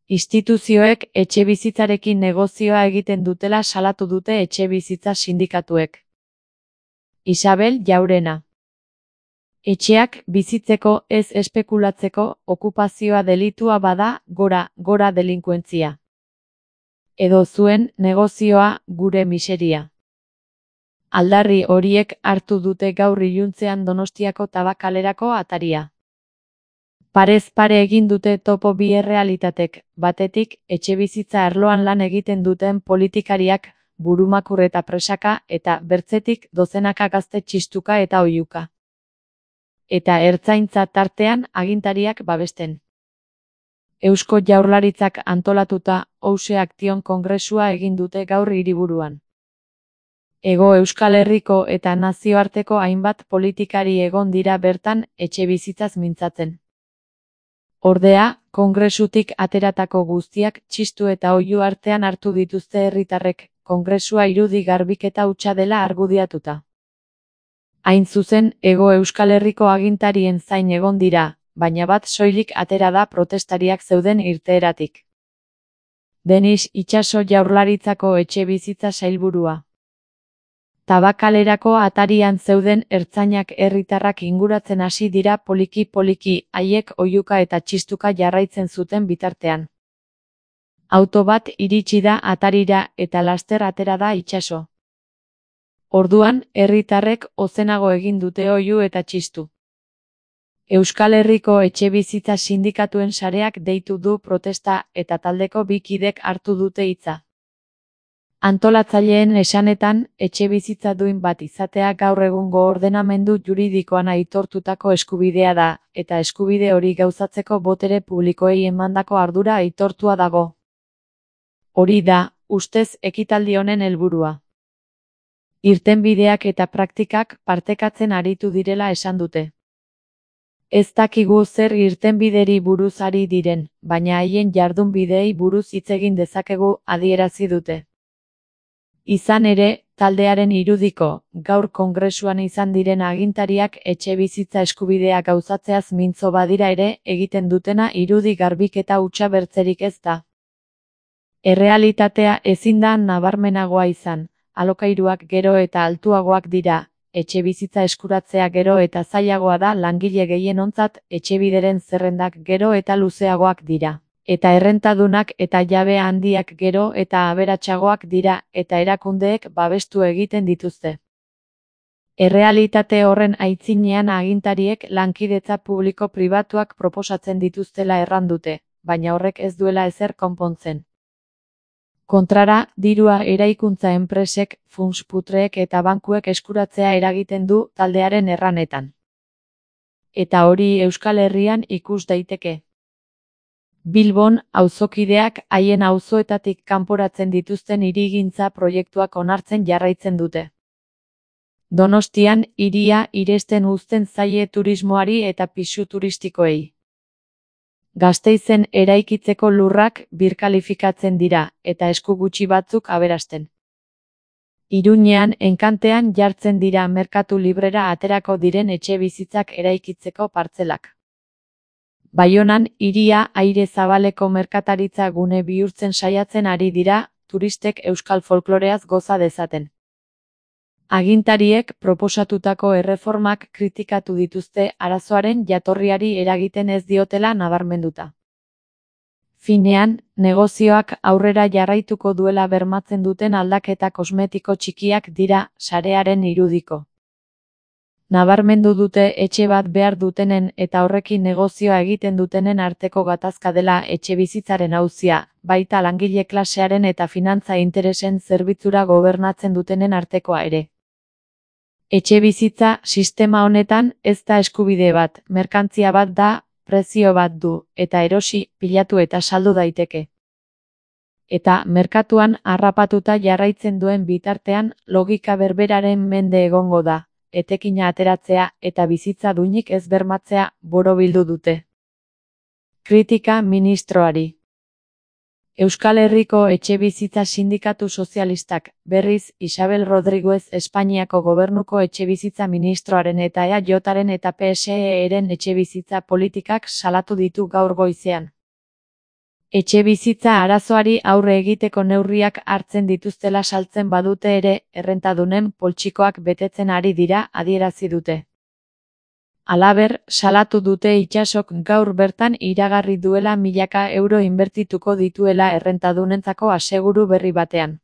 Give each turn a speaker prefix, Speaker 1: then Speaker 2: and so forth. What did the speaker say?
Speaker 1: Instituzioek etxebizitzarekin negozioa egiten dutela salatu dute etxebizitza sindikatuek. Isabel Jaurena. Etxeak bizitzeko ez espekulatzeko okupazioa delitua bada gora delinkuentzia. Edo zuen negozioa gure miseria. Aldarri horiek hartu dute gaur iluntzean Donostiako Tabakalerako ataria. Parez pare egin dute topo bi errealitatek, batetik etxebizitza arloan lan egiten duten politikariak, burumakur eta presaka, eta bertzetik dozenaka gazte txistuka eta oihuka. Eta ertzaintza tartean agintariak babesten. Eusko Jaurlaritzak antolatuta House Action kongresua egin dute gaur hiriburuan. Hego Euskal Herriko eta nazioarteko hainbat politikari egon dira bertan etxebizitzaz mintzatzen. Ordea, kongresutik ateratako guztiak txistu eta oihu artean hartu dituzte herritarrek, kongresua irudi garbiketa hutsa dela argudiatuta. Hain zuzen, Hego Euskal Herriko agintarien zain egon dira, baina bat soilik atera da protestariak zeuden irteeratik. Denis Itxaso Jaurlaritzako etxebizitza sailburua. Tabakalerako atarian zeuden ertzainak herritarrak inguratzen hasi dira poliki-poliki, haiek oihuka eta txistuka jarraitzen zuten bitartean. Auto bat iritsi da atarira eta laster atera da Itxaso. Orduan, herritarrek ozenago egin dute oihu eta txistu. Euskal Herriko etxebizitza sindikatuen sareak deitu du protesta eta taldeko bi kidek hartu dute hitza. Antolatzaileen esanetan, etxebizitza duin bat izatea gaur egungo ordenamendu juridikoan aitortutako eskubidea da, eta eskubide hori gauzatzeko botere publikoei emandako ardura aitortua dago. Hori da, ustez ekitaldi honen helburua. Irtenbideak eta praktikak partekatzen aritu direla esan dute. Ez dakigu zer irtenbideri buruz ari diren, baina haien jardunbideei buruz hitz egin dezakegu adierazi dute. Izan ere, taldearen irudiko, gaur kongresuan izan diren agintariak etxebizitza eskubidea gauzatzeaz mintzo badira ere egiten dutena irudi garbiketa hutsa bertzerik ez da. Errealitatea ezin da nabarmenagoa izan, alokairuak gero eta altuagoak dira, etxebizitza eskuratzea gero eta zailagoa da langile gehienontzat, etxebideren zerrendak gero eta luzeagoak dira. Eta errentadunak eta jabe handiak gero eta aberatsagoak dira, eta erakundeek babestu egiten dituzte. Errealitate horren aitzinean agintariek lankidetza publiko-pribatuak proposatzen dituztela erran dute, baina horrek ez duela ezer konpontzen. Kontrara, dirua eraikuntza enpresek, funts-putreek eta bankuek eskuratzea eragiten du taldearen erranetan. Eta hori Euskal Herrian ikus daiteke. Bilbon, auzokideak haien auzoetatik kanporatzen dituzten hirigintza proiektuak onartzen jarraitzen dute. Donostian, hiria iresten uzten zaie turismoari eta pisu turistikoei. Gasteizen eraikitzeko lurrak birkalifikatzen dira, eta esku gutxi batzuk aberasten. Iruñean, Enkantean jartzen dira merkatu librera aterako diren etxebizitzak eraikitzeko partzelak. Baionan, hiria aire zabaleko merkataritza gune bihurtzen saiatzen ari dira, turistek euskal folkloreaz goza dezaten. Agintariek proposatutako erreformak kritikatu dituzte arazoaren jatorriari eragiten ez diotela nabarmenduta. Finean, negozioak aurrera jarraituko duela bermatzen duten aldaketa kosmetiko txikiak dira sarearen irudiko. Nabarmendu dute etxe bat behar dutenen eta horrekin negozioa egiten dutenen arteko gatazka dela etxebizitzaren auzia, baita langile klasearen eta finantza interesen zerbitzura gobernatzen dutenen artekoa ere. Etxebizitza sistema honetan ez da eskubide bat, merkantzia bat da, prezio bat du, eta erosi, pilatu eta saldu daiteke. Eta merkatuan harrapatuta jarraitzen duen bitartean logika berberaren mende egongo da, etekina ateratzea eta bizitza duinik ez bermatzea borobildu dute. Kritika ministroari. Euskal Herriko etxebizitza sindikatu sozialistak, berriz, Isabel Rodriguez Espainiako gobernuko etxebizitza ministroaren eta EAJaren eta PSE-ren etxebizitza politikak salatu ditu gaur goizean. Etxebizitza arazoari aurre egiteko neurriak hartzen dituztela saltzen badute ere, errentadunen poltsikoak betetzen ari dira adierazi dute. Halaber, salatu dute Itsasok gaur bertan iragarri duela milaka euro inbertituko dituela errentadunentzako aseguru berri batean.